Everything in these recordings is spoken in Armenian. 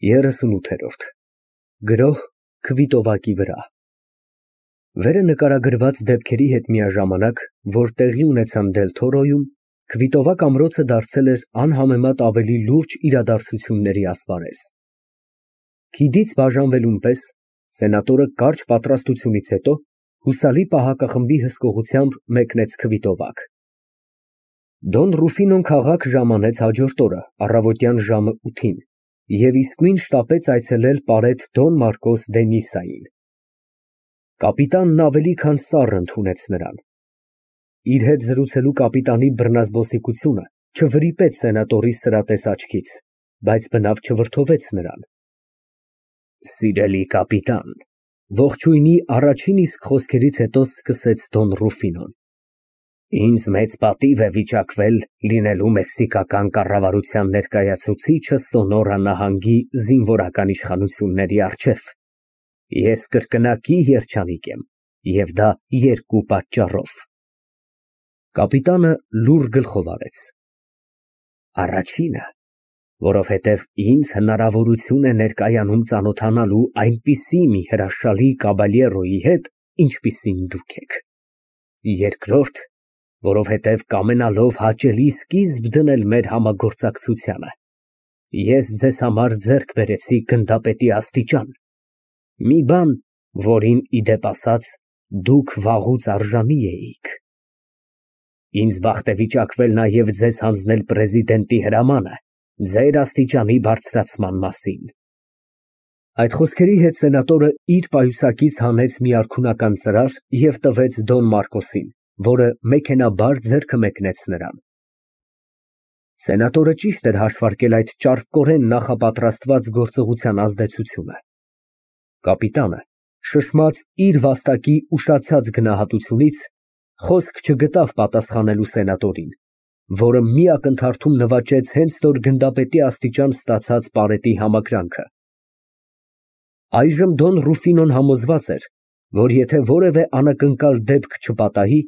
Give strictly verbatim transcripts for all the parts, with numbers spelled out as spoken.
երեսունութ Գրոհ քվիտովակի վրա Վերը նկարագրված դեպքերի հետ միաժամանակ, որ տեղի ունեցան Դել-Թորոյում, Քվիտովակ ամրոցը դարձել էր անհամեմատ ավելի լուրջ իրադարձությունների ասպարեզ։ Քիդից բաժանվելուն պես սենատորը կարճ պատրաստությունից հետո հուսալի պահակախմբի հսկողությամբ մեկնեց Քվիտովակ։ Դոն Ռուֆինոն քաղաք ժամանեց հաջորդ օրը առավոտյան ժամը ութին և իսկույն շտապեց այցելել պարետ Դոն Մարկոս դե Նիսային։ Կապիտանն ավելի քան սառն ընդունեց նրան։ Իր հետ զրուցելու կապիտանի բռնազբոսիկությունը չվրիպեց սենատորի սրատես աչքից, բայց բնավ չվրդովեց նրան։ Սիրելի կապիտան, ողջույնի առաջին իսկ խոսքերից հետո սկսեց Դոն Ռուֆինոն, ինձ մեծ պատիվ է վիճակվել լինելու մեքսիկական կառավարության ներկայացուցիչը Սոնորա նահանգի զինվորական իշխանությունների առջև։ Ես կրկնակի երջանիկ եմ, և դա երկու պատճառով։ Կապիտանը լուռ գլխով արեց։ Առաջինը, որովհետև ինձ հնարավորություն է ներկայանում ծանոթանալու այնպիսի մի հրաշալի կաբալյերոյի հետ, ինչպիսին դուք եք։ Երկրորդ, որովհետև կամենալով հաճելի սկիզբ դնել մեր համագործակցությանը, ես ձեզ համար ձեռք բերեցի գնդապետի աստիճան, մի բան, որին, ի դեպ ասած, դուք վաղուց արժանի էիք։ Ինձ բախտ է վիճակվել նաև ձեզ հանձնել պրեզիդենտի հրամանը ձեր աստիճանի բարձրացման մասին։ Այդ խոսքերի հետ սենատորը իր պայուսակից հանեց մի արքունական ծրար և տվեց Դոն Մարկոսին, որը մեքենայաբար ձեռքը մեկնեց նրան։ Սենատորը ճիշտ էր հաշվարկել այդ ճարպկորեն նախապատրաստված գործողության ազդեցությունը։ Կապիտանը, շշմած իր վաստակի ուշացած գնահատությունից, խոսք չգտավ պատասխանելու սենատորին, որը մի ակնթարթում նվաճեց հենց նոր գնդապետի աստիճան ստացած պարետի համակրանքը։ Այժմ Դոն Ռուֆինոն համոզված էր, որ եթե որևէ անակնկալ դեպք չպատահի,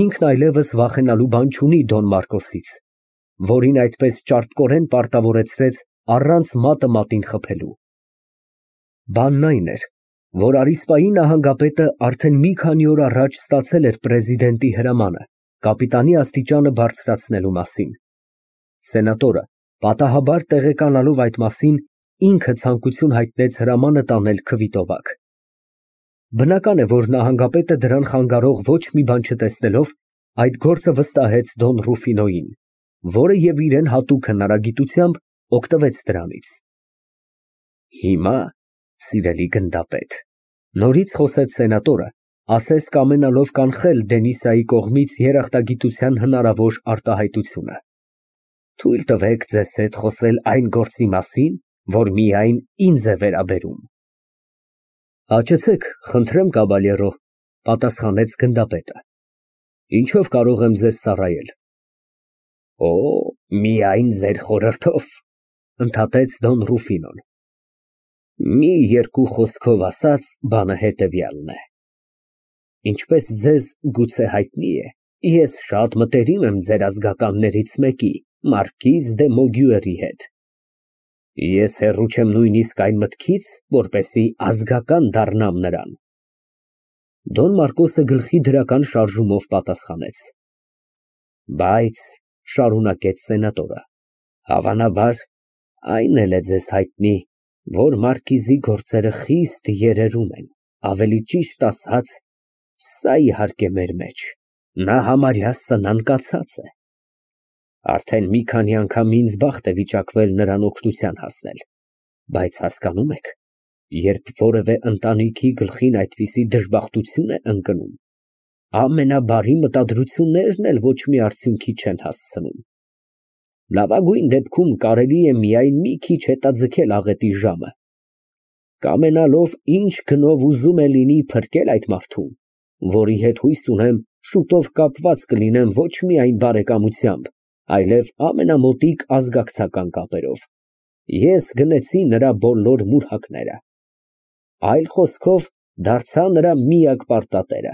ինքն այլևս վախենալու բան չունի Դոն Մարկոսից, որին այդպես ճարպկորեն պարտավորեցրեց առանց մատը մատին խփելու։ Բանն այն էր, որ Արիսպայի նահանգապետը արդեն մի քանի օր առաջ ստացել էր պրեզիդենտի հրամանը կապիտանի աստիճանը բարձրացնելու մասին։ Սենատորը, պատահաբար տեղեկանալով այդ մասին, ինքը ցանկություն հայտնեց հրամանը տանել Քվիտովակ։ Բնական է, որ նահանգապետը դրան խանգարող ոչ մի բան չտեսնելով, այդ գործը վստահեց Դոն Ռուֆինոյին, որը և իրեն հատուկ հնարագիտությամբ օգտվեց դրանից։ Հիմա, սիրելի գնդապետ, նորից խոսեց սենատորը, ասես կամենալով կանխել Դենիսայի կողմից երախտագիտության հնարավոր արտահայտությունը, թույլ տվեք ձեզ հետ խոսել այն գործի մասին, որ միայն ինձ է վերաբերում։ Հաճեցեք, խնդրեմ, կաբալյերո, պատասխանեց գնդապետը։ Ինչով կարող եմ ձեզ ծառայել։ Օ, միայն ձեր խորհրդով, ընդհատեց Դոն Ռուֆինոն։ Մի երկու խոսքով ասած, բանը հետևյալն է։ Ինչպես ձեզ գուցե հայտնի է, ես շատ մտերիմ եմ ձեր ազգականներից մեկի, մարկիզ դե Մոգյուերի հետ։ Ես հեռու չեմ նույնիսկ այն մտքից, որպեսզի ազգական դառնամ նրան։ Դոն Մարկոսը գլխի դրական շարժումով պատասխանեց։ Բայց, շարունակեց սենատորը, հավանաբար, այն էլ է ձեզ հայտնի, որ մարկիզի գործերը խիստ երերում են, ավելի ճիշտ ասած, սա իհարկե մեր մեջ, նա համարյա սնանկացած է։ Արդեն մի քանի անգամ ինձ բախտ է վիճակվել նրան օգնության հասնել, բայց հասկանում եք, երբ որևէ ընտանիքի գլխին այդպիսի դժբախտություն է ընկնում, ամենաբարի մտադրություններն էլ ոչ մի արդյունքի չեն հասցնում։ Լավագույն դեպքում կարելի է միայն մի քիչ հետաձգել աղետի ժամը, կամենալով ինչ գնով ուզում է լինի փրկել այդ մարդուն, որի հետ հույս ունեմ շուտով կապված կլինեմ ոչ միայն բարեկամությամբ, այլև ամենամոտիկ ազգակցական կապերով։ Ես գնեցի նրա բոլոր մուրհակները, այլ խոսքով դարձա նրա միակ պարտատերը,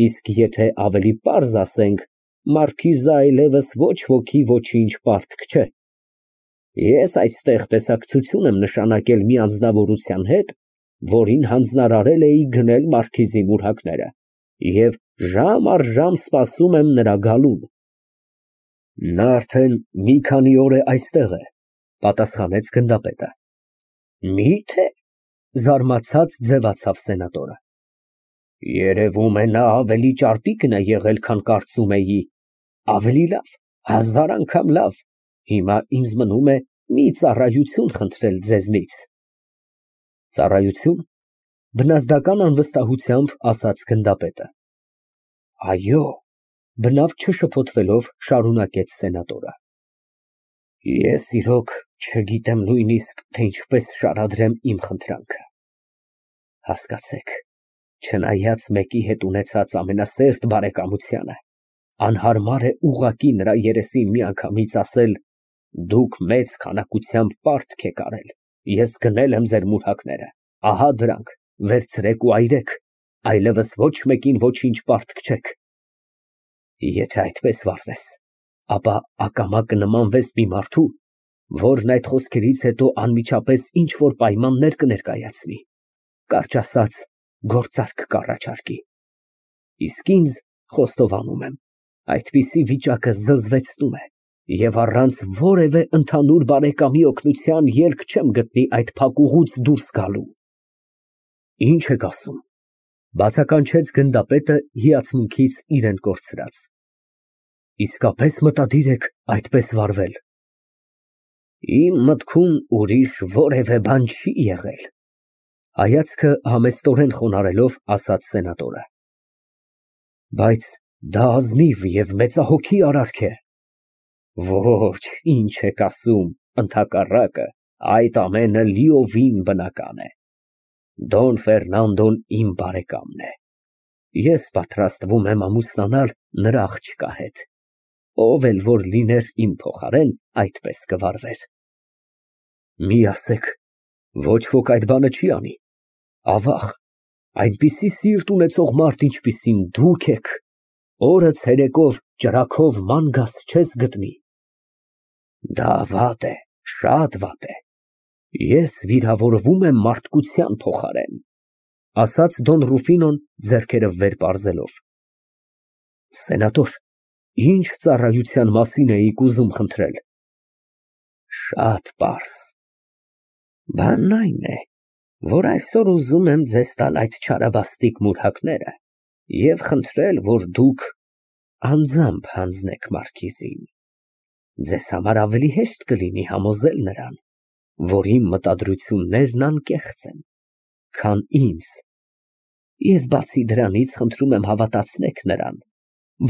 իսկ եթե ավելի պարզ ասենք, մարքիզը այլևս ոչ ոքի ոչինչ պարտք չէ։ Ես այստեղ տեսակցություն եմ նշանակել մի անձնավորության հետ, որին հանձնարարել էի գնել մարքիզի մուրհակները, և ժամ առ ժամ սպասում եմ նրա գալուն։ Նա արդեն մի քանի օր է այստեղ է, պատասխանեց գնդապետը։ Մի՞թե, զարմացած ձևացավ սենատորը։ Երևում է նա ավելի ճարպիկն է եղել, քան կարծում էի, ավելի լավ, հազար անգամ լավ, հիմա ինձ մնում է մի ծառայություն խնդրել ձեզնից։ Ծառայությո՞ւն, բնազդական անվստահությամբ ասաց գնդապետը։ Այո, բնավ չշփոթվելով շարունակեց սենատորը։ Ես իրոք չգիտեմ նույնիսկ, թե ինչպես շարադրեմ իմ խնդրանքը։ Հասկացեք, չնայած մեկի հետ ունեցած ամենասերտ բարեկամությանը, անհարմար է ուղղակի նրա երեսին միանգամից ասել. դուք մեծ քանակությամբ պարտք եք արել, ես գնել եմ ձեր մուրհակները, ահա դրանք, վերցրեք ու այրեք, այլևս ոչ մեկին ոչինչ պարտք չեք։ Եթե այդպես վարվես, ապա ակամա կնմանվես մի մարդու, որն այդ խոսքերից հետո անմիջապես ինչ-որ պայմաններ կներկայացնի, կարճ ասած, գործարք կառաջարկի։ Իսկ ինձ, խոստովանում եմ, այդպիսի վիճակը զզվեցնում է, և առանց որևէ ընդհանուր բարեկամի օգնության ելք չեմ գտնի այդ փակուղուց դուրս գալու։ Ինչ եք ասում, բացականչեց գնդապետը հիացմունքից իրեն կորցրած։ Իսկապես մտադիր եք այդպես վարվել։ Իմ մտքում ուրիշ որևէ բան չի եղել, հայացքը համեստորեն խոնարհելով ասաց սենատորը։ Բայց դա ազնիվ և մեծահոգի արարք է։ Ոչ, ինչ եք ասում, ընդհակառակը, այդ ամենը լիովին բնական է։ Դոն Ֆերնանդոն իմ բարեկամն է։ Ես պատրաստվում եմ ամուսնանալ նրա աղջկա հետ, ով էլ որ լիներ իմ փոխարեն, այդպես կվարվեր։ Մի ասեք, ոչ ոք այդ բանը չի անի։ Ավաղ, այնպիսի սիրտ ունեցող մարդ, ինչպիսին դուք եք, օրը ցերեկով ճրագով ման գաս չես գտնի։ Դա վատ է, շատ վատ է։ Ես վիրավորվում եմ մարդկության փոխարեն, ասաց Դոն Ռուֆինոն ձեռքերը վեր պարզելով։ Սենատոր, ինչ ծառայության մասին էիք ուզում խնդրել։ Շատ պարզ։ Բանն այն է, որ այսօր ուզում եմ ձեզ տալ այդ չարաբաստիկ մուրհակները և խնդրել, որ դուք անձամբ հանձնեք մարքիզին։ Ձեզ համար ավելի հեշտ կլինի համոզել նրան, որ իմ մտադրություններն անկեղծ են, քան ինձ, և բացի դրանից խնդրում եմ հավատացնեք նրան,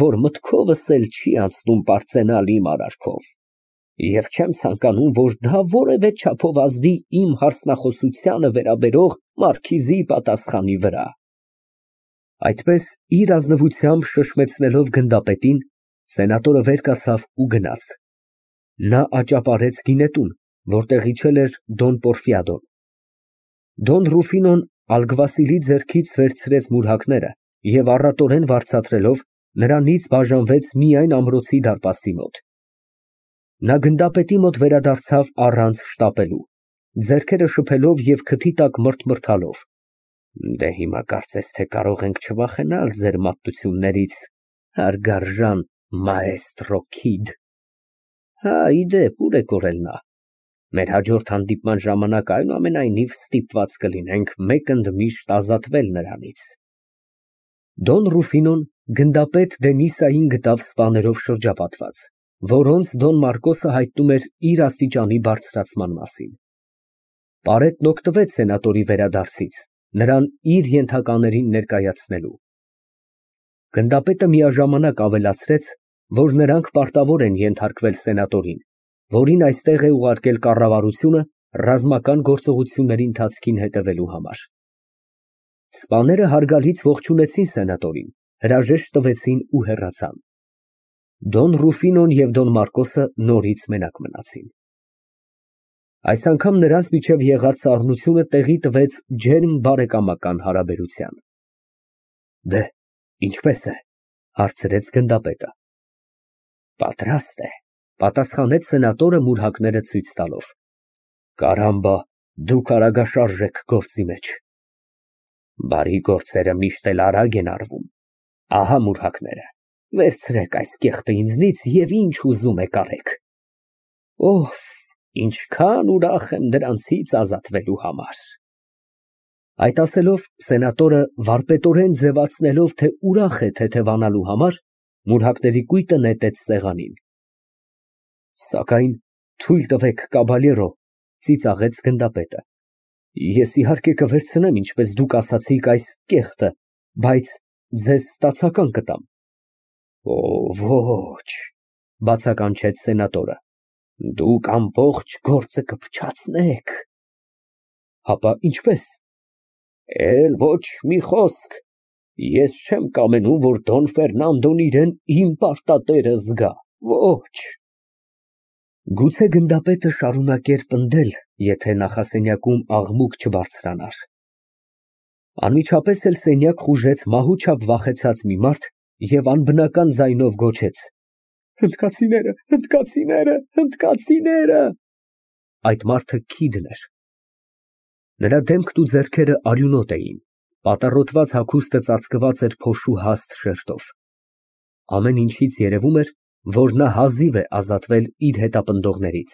որ մտքովս էլ չի անցնում պարծենալ իմ արարքով, և չեմ ցանկանում, որ դա որևէ չափով ազդի իմ հարսնախոսությանը վերաբերող մարքիզի պատասխանի վրա։ Այդպես իր ազնվությամբ շշմեցնելով գնդապետին, սենատորը վեր կացավ ու գնաց։ Նա աճապարեց գինետուն, որտեղ իջել էր Դոն Պորֆիադոն։ Դոն Ռուֆինոն ալգվասիլի ձեռքից վերցրեց մուրհակները և առատորեն վարձատրելով, նրանից բաժանվեց միայն ամրոցի դարպասի մոտ։ Նա գնդապետի մոտ վերադարձավ առանց շտապելու, ձեռքերը շփելով և քթի տակ մրթմրթալով։ Դե հիմա կարծես թե կարող ենք չվախենալ ձեր մատություններից, հարգարժան մաեստրո Քիդ։ Հա, ի դեպ, ուր է կորել նա։ Մեր հաջորդ հանդիպման ժամանակ այնուամենայնիվ ստիպված կլինենք մեկ ընդմիշտ ազատվել նրանից։ Դոն Ռուֆինոն գնդապետ Դենիսային գտավ սպաներով շրջապատված, որոնց Դոն Մարկոսը հայտնում էր իր աստիճանի բարձրացման մասին։ Պարետն օգտվեց սենատորի վերադարձից, նրան իր ենթականերին ներկայացնելու։ Գնդապետը միաժամանակ ավելացրեց, որ նրանք պարտավոր են ենթարկվել սենատորին, որին այստեղ է ուղարկել կառավարությունը ռազմական գործողությունների ընթացքին հետևելու համար։ Սպաները հարգալից ողջունեցին սենատորին, հրաժեշտ տվեցին ու հեռացան։ Դոն Ռուֆինոն և Դոն Մարկոսը նորից մենակ մնացին։ Այս անգամ նրանց միջև եղած սառնությունը տեղի տվեց ջերմ բարեկամական հարաբերության։ Դե, ինչպե՞ս է, հարցրեց գնդապետը։ Պատրաստ է, Պատասխանեց սենատորը մուրհակները ցույց տալով։ Կարամբա, դուք արագաշարժ եք գործի մեջ։ Բարի գործերը միշտ էլ արագ են արվում։ Ահա մուրհակները, վերցրեք այս կեղտը ինձնից և ինչ ուզում եք արեք։ Օհ, ինչքան ուրախ եմ դրանցից ազատվելու համար։ Այդ ասելով, սենատորը վարպետորեն ձևացնելով, թե ուրախ է թեթևանալու համար, մուրհակների կույտը նետեց սեղանին։ Սակայն թույլ տվեք, կաբալերո, ծիծաղեց գնդապետը, ես իհարկե կվերցնեմ, ինչպես դուք ասացիք, այս կեղտը, բայց ձեզ ստացական կտամ։ Օ, ոչ, բացականչեց սենատորը, դուք ամբողջ գործը կփչացնեք։ Հապա ինչպես։ Էլ ոչ մի խոսք, ես չեմ կամենում, որ Դոն Ֆերնանդոն իրան իմ պարտատերը զգա, ոչ։ Գուցե գնդապետը շարունակեր պնդել, եթե նախասենյակում աղմուկ չբարձրանար։ Անմիջապես էլ սենյակ խուժեց մահուչափ վախեցած մի մարդ և անբնական ձայնով գոչեց. Հնդկացիները, հնդկացիները, հնդկացիները։ Այդ մարդը Քիդն էր։ Նրա դեմքն ու ձեռքերը արյունոտ էին, պատառոտված հագուստը ծածկված էր փոշու հաստ շերտով։ Ամեն ինչից երևում էր, որ նա հազիվ է ազատվել իր հետապնդողներից։